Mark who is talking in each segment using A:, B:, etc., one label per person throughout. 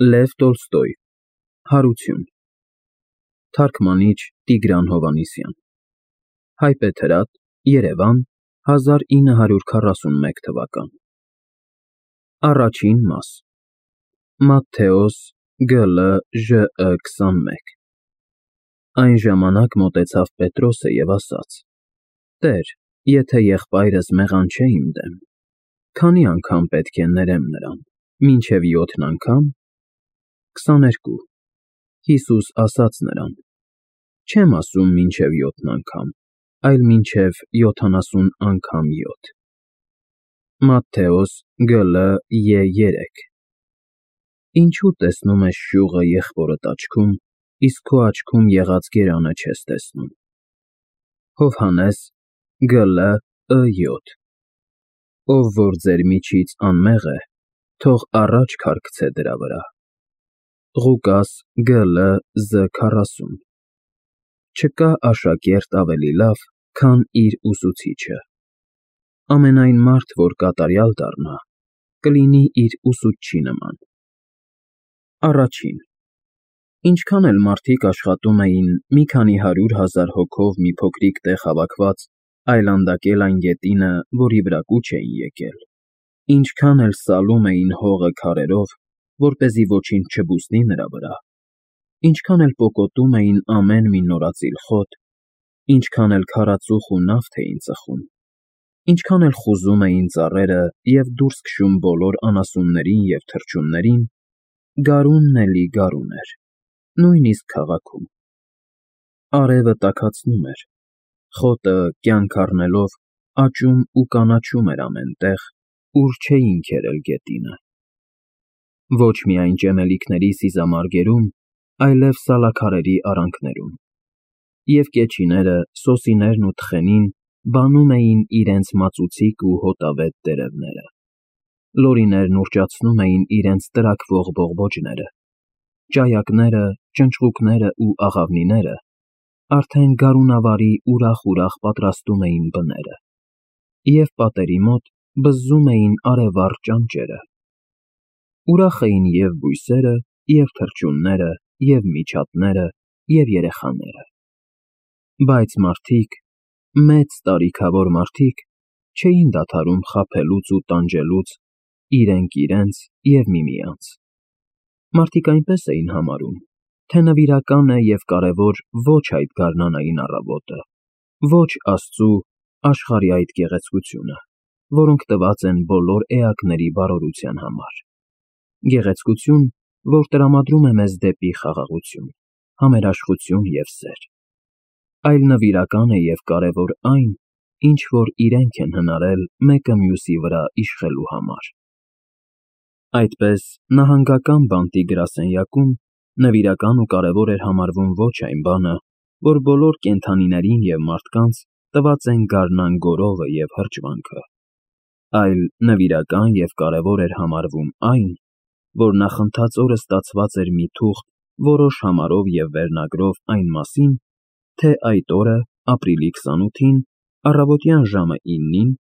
A: Լև Տոլստոյ Հարություն Թարգմանիչ Տիգրան Հովհաննիսյան Հայբեթ Հրատ Երևան 1941 թվական Առաջին մաս Մատթեոս գ.Լ. Ժ.Ը. 21 Այն ժամանակ մոտեցավ Պետրոսը և ասաց. Տեր, եթե եղբայրս մեղան չէ իմ դեմ, քանի անգամ պետք է ներեմ նրան, մինչև 7 անգամ։ 22 Հիսուս ասաց նրան. Չեմ ասում մինչև 7 անգամ, այլ մինչև 70 անգամ 7։ Մատթեոս գ.Լ. Ե3 Ինչու տեսնում ես շյուղը եղբորդ աչքում, իսկ քո աչքում եղած գերանը չես տեսնում։ Հովհաննես գ.Լ. Ը7 Ով որ ձեր միջից անմեղ է, թող առաջ քարկցե դրա վրա։ Ղուկաս գ.Լ. Զ40 Չկա աշակերտ ավելի լավ, քան իր ուսուցիչը։ Ամենայն մարդ, որ կատարյալ դառնա, կլինի իր ուսուցչի նման։ Առաջին Ինչքան էլ մարդիկ աշխատում էին մի քանի 100,000 հոգով մի փոքրիկ տեղ հավաքված այլանդակել այն գետինը, որի վրա կուչ էին եկել, ինչքան էլ սալում էին հողը քարերով, որպեսզի ոչինչ չբուսնի նրա վրա, ինչքան էլ պոկոտում էին ամեն մի նորածիլ խոտ, ինչքան էլ քարածուխ ու նավթ էին ծխում, ինչքան էլ խուզում էին ծառերը և դուրս քշում բոլոր անասուններին և թռչուններին, գարունն էլի գարուն էր, նույնիսկ քաղաքում։ Արևը տաքացնում էր, խոտը, կյանք առնելով, աճում ու կանաչում էր ամեն տեղ, ուր չէին քերել գետինը։ Ոչ միայն ճեմելիքների սիզամարգերում, այլև սալաքարերի արանքներում։ Եվ կեչիները, սոսիներն ու թխենին բանում էին իրենց մածուցիկ ու հոտավետ տերևները։ Լորիներն ուռճացնում էին իրենց տրաքվող բողբոջները։ Ճայակները, ճնճղուկները ու աղավնիները արդեն գարունավարի ուրախ պատրաստում էին բները, և պատերի մոտ բզզում էին արևառ ճանճերը։ Ուրախ էին և բույսերը, և թռչունները, և միջատները, և երեխաները։ Բայց մարդիկ, մեծ տարիքավոր մարդիկ, չէին դադարում խաբելուց ու տանջելուց իրենք իրենց և միմյանց։ Մարդիկ այնպես էին համարում, թե նվիրական է և կարևոր ոչ այդ գարնանային առավոտը, ոչ Աստծու, աշխարհի այդ գեղեցկությունը, որոնք տված են բոլոր էակների բարօրության համար։ Գեղեցկություն, որ տրամադրում է մեզ դեպի խաղաղություն, համերաշխություն և սեր։ Այլ նվիրական է և կարևոր այն, ինչ որ իրենք են հնարել մեկը մյուսի վրա իշխելու համար։ Այդպես, նահանգական բանտի գրասենյակում նվիրական ու կարևոր էր համարվում ոչ այն բանը, որ բոլոր կենդանիներին և մարդկանց տված են գարնան գորովը և հրճվանքը, այլ նվիրական և կարևոր էր համարվում այն, որ նախընթաց օրը ստացված էր մի թուղթ որոշ համարով և վերնագրով այն մասին, թե այդ օրը, ապրիլի 28-ին, առավոտյան ժամը 9-ին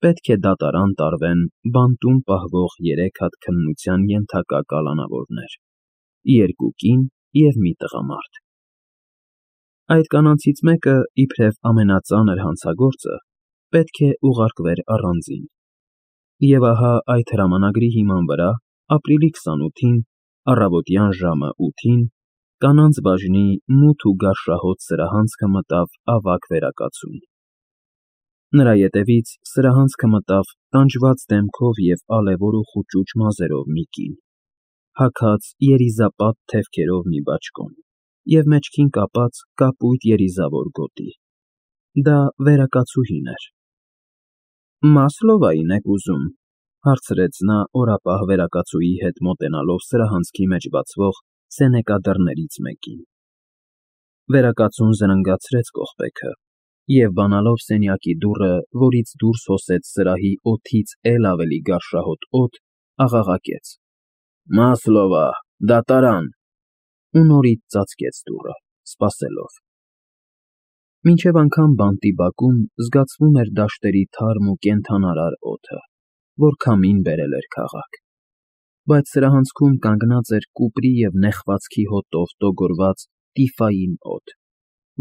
A: պետք է դատարան տարվեն բանտում պահվող 3 հատ քննության ենթակա կալանավորներ՝ 2 կին և մի տղամարդ։ Այդ կանանցից մեկը, իբրև ամենածանր հանցագործը, պետք է ուղարկվեր առանձին։ Եվ ահա այդ հրամանագրի հիման վրա, ապրիլի 28-ին, առավոտյան ժամը 8-ին, կանանց բաժնի մութ ու գարշահոտ սրահանցքը մտավ ավագ վերակացուն։ Նրա ետևից սրահանցքը մտավ տանջված դեմքով և ալևոր ու խուճուճ մազերով մի կին, հագած երիզապատ թևքերով մի բաճկոն և մեջքին կապած կապույտ երիզավոր գոտի։ Դա վերակացուհին էր։ Մասլովա՞ին եք ուզում, հարցրեց նա օրապահ վերակացուի հետ մոտենալով սրահանցքի մեջ բացվող սենեկա դռներից մեկին։ Վերակացուն զրնգացրեց կողպեքը և բանալով սենյակի դուռը, որից դուրս հոսեց սրահի օդից էլ ավելի գարշահոտ օդ, աղաղակեց. Մասլովա, դատարան։ Ու նորից ծածկեց դուռը, սպասելով։ Մինչև անգամ բանտի բակում զգացվում էր դաշտերի թարմ ու կենդանարար օդը, որ քամին բերել էր քաղաք։ բայց սրահանցքում կանգնած էր կուպրի և նեխվածքի հոտով տոգորված տիֆային օդ,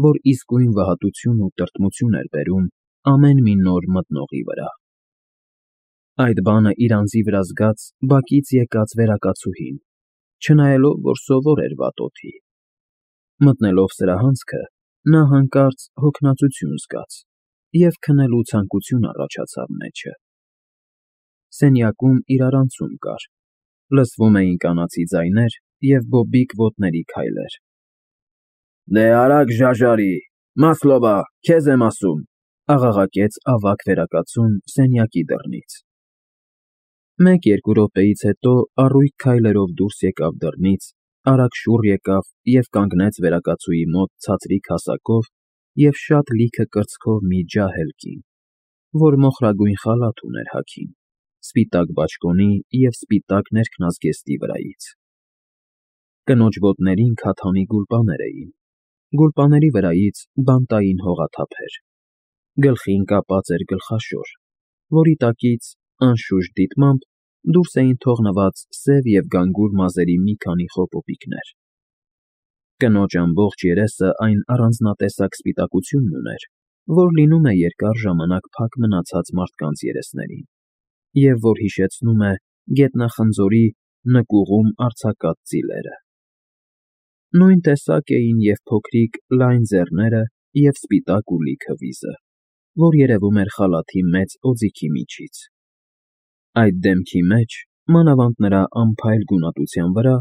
A: որ իսկույն վհատություն ու տրտմություն էր բերում ամեն մի նոր մտնողի վրա։ Այդ բանը իր անձի վրա զգաց բակից եկած վերակացուհին, չնայելով, որ սովոր էր վատ օդի։ Մտնելով սրահանցքը, նա հանկարծ հոգնածություն զգաց և քնելու ցանկություն առաջացավ մեջը։ Սենյակում իրարանցում կար, լսվում էին կանացի ձայներ և բոբիկ ոտների քայլեր։ «Դե արագ ժաժարի, Մասլովա, քեզ եմ ասում», աղաղակեց ավագ վերակացուն սենյակի դռնից։ Մեկ-երկու րոպեից հետո առույգ քայլերով դուրս եկավ դռնից, արագ շուռ եկավ և կանգնեց վերակացուի մոտ ցածրիկ հասակով և շատ լիքը կրծքով մի ջահել կին, որ մոխրագույն խալաթ ուներ հագին, սպիտակ բաճկոնի և սպիտակ ներքնազգեստի վրայից։ Կնոջ ոտներին քաթանի գուլպաներ էին, գուլպաների վրայից բանտային հողաթափեր, գլխին կապած էր գլխաշոր, որի տակից, անշուշտ դիտմամբ, դուրս էին թողնված սև և գանգուր մազերի մի քանի խոպոպիկներ։ Կնոջ ամբողջ երեսը այն առանձնատեսակ սպիտակությունն ուներ, որ լինում է երկար ժամանակ փակ մնացած մարդկանց երեսներին, և որ հիշեցնում է գետնախնձորի նկուղում արձակած ծիլերը։ Նույն տեսակ էին և փոքրիկ, լայն ձեռները և սպիտակ ու լիքը վիզը, որ երևում էր խալաթի մեծ օձիքի միջից։ Այդ դեմքի մեջ, մանավանդ նրա անփայլ գունատության վրա,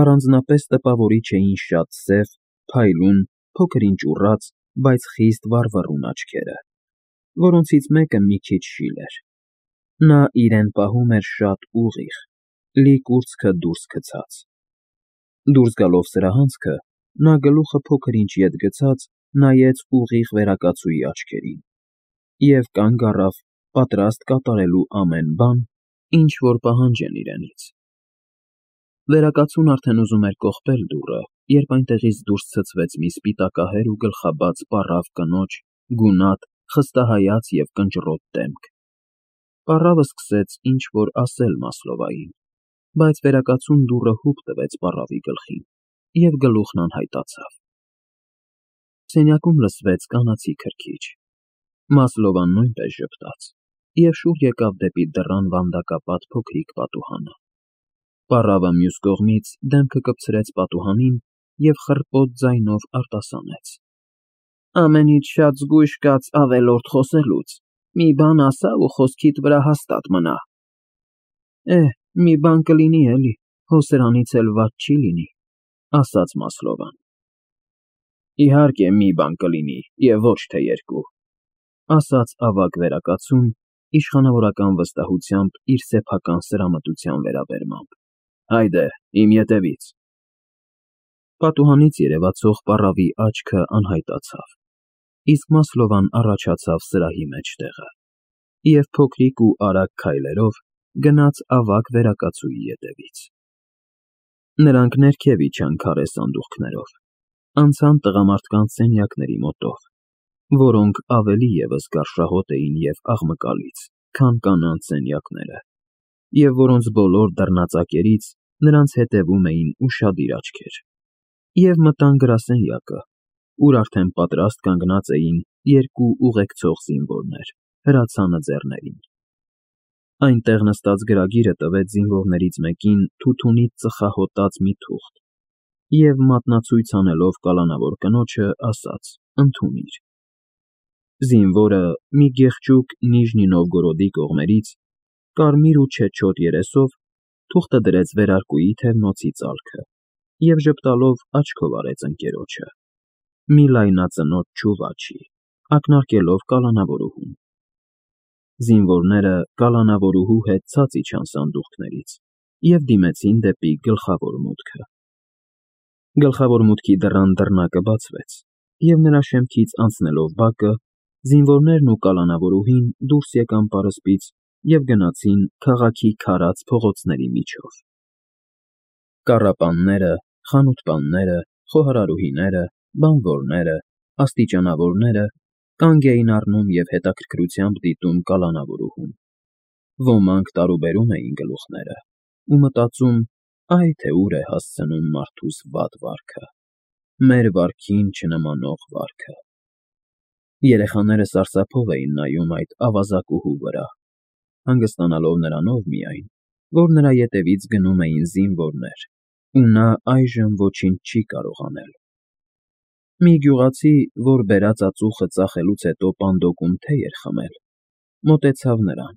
A: առանձնապես տպավորիչ էին շատ սև, փայլուն, փոքր-ինչ ուռած, բայց խիստ վառվռուն աչքերը, որոնցից մեկը մի քիչ շիլ էր։ Նա իրեն պահում էր շատ ուղիղ, լի կուրծքը դուրս գցած։ Դուրս գալով սրահանցքը, նա գլուխը փոքր-ինչ ետ գցած նայեց ուղիղ վերակացուի աչքերին և կանգ առավ, պատրաստ կատարելու ամեն բան, ինչ որ պահանջեն իրենից։ Վերակացուն արդեն ուզում էր կողպել դուռը, երբ այնտեղից դուրս ցցվեց մի սպիտակահեր ու գլխաբաց պառավ կնոջ գունատ, խստահայաց և կնճռոտ դեմք։ Պառավը սկսեց ինչ֊որ ասել Մասլովային, բայց վերակացուն դուռը հուպ տվեց պառավի գլխին, և գլուխն անհայտացավ։ Սենյակում լսվեց կանացի քրքիջ։ Մասլովան նույնպես ժպտաց և շուռ եկավ դեպի դռան վանդակապատ փոքրիկ պատուհանը։ Պառավը մյուս կողմից դեմքը կպցրեց պատուհանին և խռպոտ ձայնով արտասանեց. «Ամենից շատ զգույշ կաց ավելորդ խոսելուց, մի բան ասա ու խոսքիդ վրա հաստատ մնա»։ Մի բան կլինի էլի, հո սրանից էլ վատ չի լինի, ասաց Մասլովան։ Իհարկե մի բան կլինի և ոչ թե երկու, ասաց ավագ վերակացուն, իշխանավորական վստահությամբ իր սեփական սրամտության վերաբերմամբ։ Հայդե, իմ ետևից։ Պատուհանից երևացող պառավի աչքը անհայտացավ, իսկ Մասլովան առաջացավ սրահի մեջտեղը և փոքրիկ ու արագ քայլերով գնաց ավագ վերակացուի ետևից։ Նրանք ներքև իջան քարե սանդուղքներով, անցան տղամարդկանց սենյակների մոտով, որոնք ավելի ևս գարշահոտ էին և աղմկալից, քան կանանց սենյակները, և որոնց բոլոր դռնածակերից նրանց հետևում էին ուշադիր աչքեր, և մտան գրասենյակը, ուր արդեն պատրաստ կանգնած էին երկու ուղեկցող զինվորներ հրացանը ձեռներին։ Այնտեղ նստած գրագիրը տվեց զինվորներից մեկին թութունից ծխահոտած մի թուղթ և մատնացույց անելով կալանավոր կնոջը, ասաց. «Ընդունիր»։ Զինվորը, մի գեղջուկ Նիժնի Նովգորոդի կողմերից, կարմիր ու չեչոտ երեսով, թուղթը դրեց վերարկուի թևնոցի ծալքը և ժպտալով աչքով արեց ընկերոջը, մի լայնածնոտ չուվաչի, ակնարկելով կալանավորուհուն։ Զինվորները կալանավորուհու հետ ցած իջան սանդուղքներից և դիմեցին դեպի գլխավոր մուտքը։ Գլխավոր մուտքի դռան դռնակը բացվեց, և նրա շեմքից անցնելով բակը, զինվորներն ու կալանավորուհին դուրս եկան պարսպից և գնացին քաղաքի քարած փողոցների միջով։ Կառապանները, խանութպանները, խոհարարուհիները, բանվորները, աստիճանավորները կանգ էին առնում և հետաքրքրությամբ դիտում կալանավորուհուն։ Ոմանք տարուբերում էին գլուխները, ու մտածում, այ թե ուր է հասցնում մարդուս վատ վարքը, մեր վարքին չնմանող վարքը։ Երեխաները սարսափով էին նայում այդ ավազակուհու վրա, հանգստանալով նրանով միայն, որ նրա ետևից գնում էին զինվորներ, ու նա այժմ ոչինչ չի կարող անել։ Մի գյուղացի, որ բերած ածուխը ծախելուց հետո պանդոկում թեյ էր խմել, մոտեցավ նրան,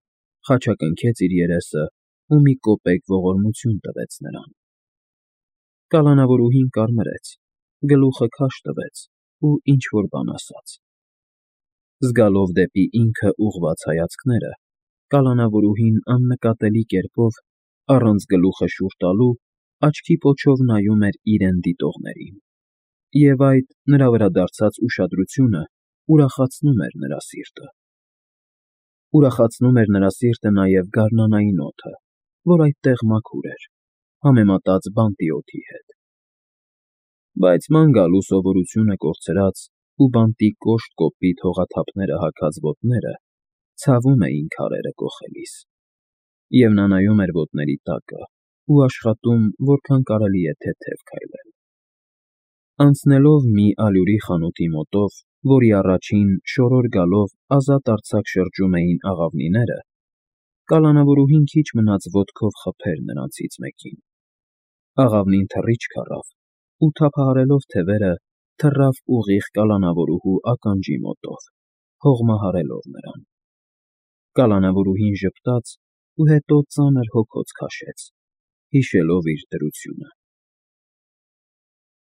A: խաչակնքեց իր երեսը ու մի կոպեկ ողորմություն տվեց նրան։ Կալանավորուհին կարմրեց, գլուխը քաշ տվեց ու ինչ֊որ բան ասաց։ Զգալով դեպի ինքը ուղղված հայացքները, կալանավորուհին աննկատելի կերպով, առանց գլուխը շուռ տալու, աչքի պոչով նայում էր իրեն դիտողներին, և այդ նրա վրա դարձած ուշադրությունը ուրախացնում էր նրա սիրտը։ Ուրախացնում էր նրա սիրտը նաև գարնանային օդը, որ այդտեղ մաքուր էր, համեմատած բանտի օդի հետ։ Բայց ման գալու սովորությունը կորցրած ու բանտի կոշտ կոպիտ հողաթափները հագած ոտները ցավում էին քարերը կոխելիս, և նա նայում էր ոտների տակը ու աշխատում որքան կարելի է թեթև քայլել։ Անցնելով մի ալյուրի խանութի մոտով, որի առաջին շորոր գալով ազատ-արձակ շրջում էին աղավնիները, կալանավորուհին քիչ մնաց ոտքով խփեր նրանցից մեկին։ Աղավնին թռիչք առավ ու, թափահարելով թևերը, թռավ ուղիղ կալանավորուհու ականջի մոտով, հողմահարելով նրան։ Կալանավորուհին ժպտաց ու հետո ծանր հոգոց քաշեց, հիշելով իր դրությունը։